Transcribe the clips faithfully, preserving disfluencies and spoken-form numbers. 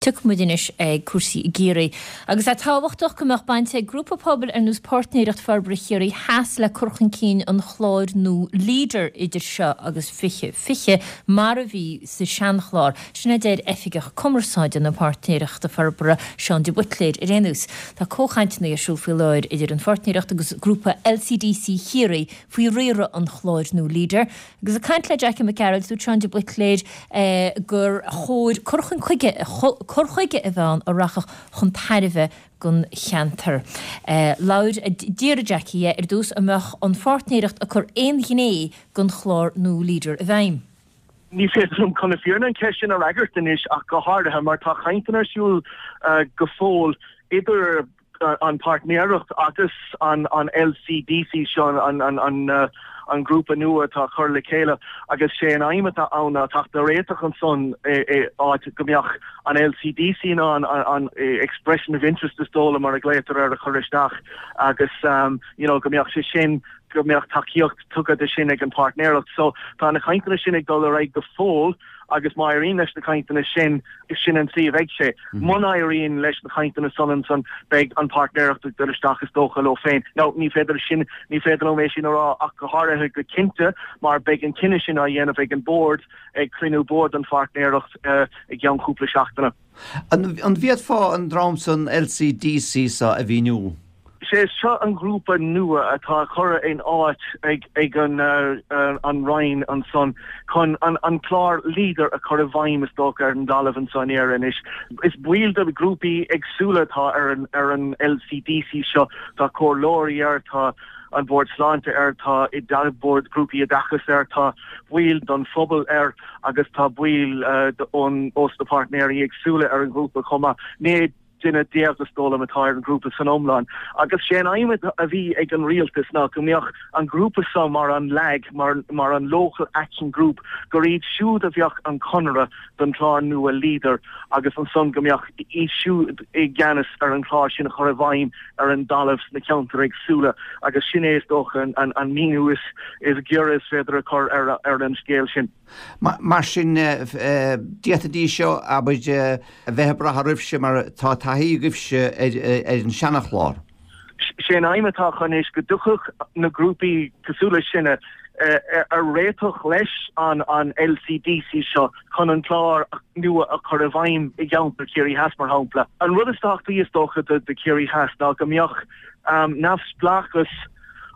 Tiocfaidh muid anois ag cúrsaí i gCiarraí. Agus é tábhachtach go mbeadh baint ag grúpa pobail ar nós Páirtnéireacht Forbartha Chiarraí Theas le cur chun cinn an chláir nua Leader idir seo agus fiche fiche mar a bhí sa seanchlár. Sin a deir Oifigeach Cumarsáide na Páirtnéireachta Forbartha, Seán de Buitléir ar aon nós. Tá comhchainteanna ar siúl faoi láthair idir an Pháirtnéireacht agus grúpa LCDC Chiarraí faoi riaradh an chláir nua Leader. Agus ag caint le Jackie Mac Gearailt, dúirt Seán de Buitléir gur chóir cur chun chuige cur chuige a bheith ann a rachadh chun tairbhe don cheantar. Labhair d'iarr Jackie ar dtús an mbeadh an pháirtnéireacht ag cur aon ghné den chlár nua Leader i bhfeidhm. Ní féidir liom chun na fírinne an cheist sin a fhreagairt anois ach go háirithe mar tá cainteanna ar siúl go fóill idir an páirtnéireacht agus an an LCDC seo an an an an grúpa nua atá cur le chéile agus sé an aidhm atá ann ná teacht ar réiteach ansan áit go mbeadh an LCDC ná an an expression of interest is dóla mar a glaotar ar a chur isteach agus um, you know, go mbeadh sé sin go mbeadh tacaíocht tugtha de sin ag an páirtnéireacht. So tá na cainteanna sin ag dul ar aghaidh go fóill agus má éiríonn leis na cainteanna sin is sin an tslí a bheidh sé. Muna éiríonn leis na cainteanna san san beidh an páirtnéireacht ag dul isteach is dócha leo féin. No ní féidir sin ní féidir liom é sin a rá ach go háirithe go cinnte mar beidh an cinneadh sin á dhéanamh ag an bord ag cruinniú boird an pháirtnéireacht uh, i gceann cúpla seachtaine. An, an bhféadfá an dream san LCDC sa a mhíniú? sé seo an grúpa nua atá curtha in áit ag ag an uh, uh, an Roinn ansan chun an, an clár leader a chur i bhfeidhm is dócha ar an dtalamh ansan anois. Is baill de grúpaí éagsúla atá ar an ar an LCDC seo tá comhairleoirí air tá an bord sláinte air tá i bord grúpaí oideachais air tá baill don phobal air agus tá baill uh, ón os na páirtnéirí éagsúla ar an grúpa chomh maith. Naoi duine déag is dóigh liom atá ar an grúpa san iomlán. Agus sé an aidhm a bhí ag an rialtas ná go mbeadh an grúpa seo mar an LAG mar, mar an Local Action Group gur iad siúd a bheadh an conradh don chlár nua leader agus ansan go mbeadh iad siúd i gceannas ar an chlár sin a chur i bhfeidhm ar an dtalamh sna ceantair éagsúla agus sin é is dócha an, an, an míniú is is giorra is féidir a chur ar, ar an scéal sin. Mar sin d'fhéadfaidís seo abair a bheith brath oraibhse mar tá taithí agaibhse ar ar an seanachlár. sé an aidhm atá anois go dtiocfadh na grúpaí cosúil le sinne ar réiteach leis an an LCDC seo chun an clár nua a chur i bhfeidhm i gceantar Chiarraí Theas mar shampla. An rud is tábhachtaí is dócha de, de Chiarraí Theas ná go mbeadh um, neamhspleáchas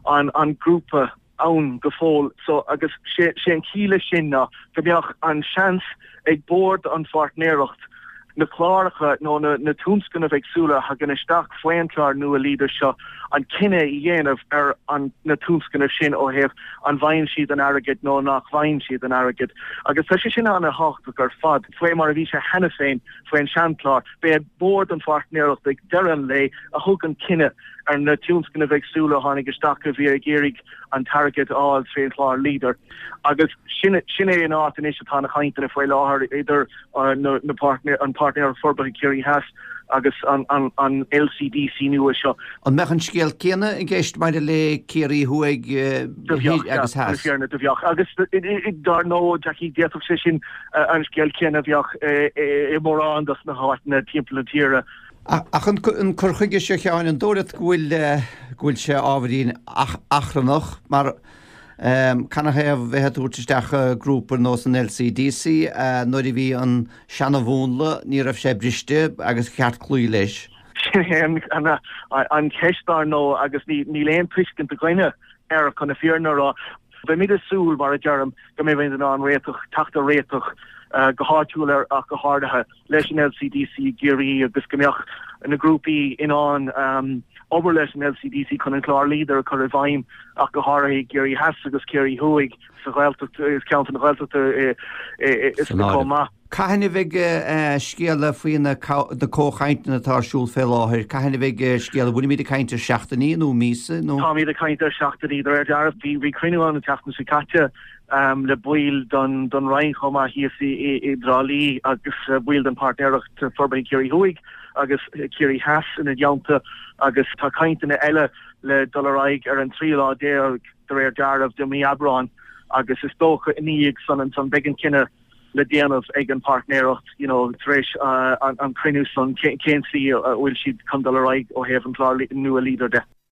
an an grúpa ann go fóill so agus sé sé an chiall sin ná go mbeadh an seans ag bord an pháirtnéireacht na cláracha nó na, na tionscnaimh éagsúla a thagann isteach faoin chlár nua leader seo an cinneadh a dhéanamh ar an na tionscnaimh sin ó thaobh an bhfaigheann siad an airgead nó nach bhfaigheann siad an airgead. Agus tá sé sin an-tábhachtach ar fad faoi mar a bhí sé cheana féin faoin seanchlár, B'é bord an pháirtnéireacht ag deireadh an lae a thug an cinneadh ar na tionscnaimh éagsúla tháinig isteach a bhí ag iarraidh an t-airgead a fháil trín chlár leader. Agus sin sin é an áit anois atá na cainteanna faoi láthair idir uh, na, na páirtnéir an páirtnéireacht forbartha Ciarraí Theas agus an, an, an LCDC nua seo. An mbeadh an scéal céanna i gceist maidir le Ciarraí Thuaidh agus Theas. do bheadh agus dar ndóigh Jackie d'fhéadfadh sé sin an scéal céanna bheadh i mórán dos na háiteanna timpeall na tíre. Ach an cur chuige seo Sheáin an dóigh leat go bhfuil go bhfuil sé ábhairín achrannach mar canathaobh bheith ag tabhairt isteach grúpa ar nós an LCDC nuair a bhí an seanamhúnla ní raibh sé briste agus ceart cloí leis. Sin an an cheist dar ndóigh agus níl aon tuiscint againne ar chun na fírinne a rá. Beimid ag súil mar a deirim go mbeidh an réiteach teacht ar réiteach go háitiúil ar ach go háirithe leis an LCDC i gCiarraí agus go mbeadh na grúpaí in ann um, obair leis an LCDC chun an clár leader a chur i bhfeidhm ach go háirithe Ciarraí Theas agus Ciarraí Thuaidh sa Ghaeltacht is ceantar na Gaeltachta is chomh maith. Cathain a bheidh scéala faoi na comhchainteanna atá ar siúl fé láthair, Cathain a bheidh scéala bhfuilimid ag caint ar seachtainí nó míosa nó? Táimid ag caint ar seachtainí de réir dealraimh bhí bhí cruinniú an tseachtain seo caite um, le baill don don Roinn chomh maith thíos i i dTrá Lí agus baill den páirtnéireacht forbartha Ciarraí Thuaidh agus Ciarraí Theas ina dteannta agus tá cainteanna eile le dul ar aghaidh ar an trí lá déag de réir dealraimh de mí Aibreáin agus is dócha i ndiaidh san ansan beidh an cinneadh le déanamh ag an páirtnéireacht you know tar éis uh, an, an cruinniú san cén slí a bhfuil siad chun dul ar aghaidh ó thaobh an chlár nua Leader de.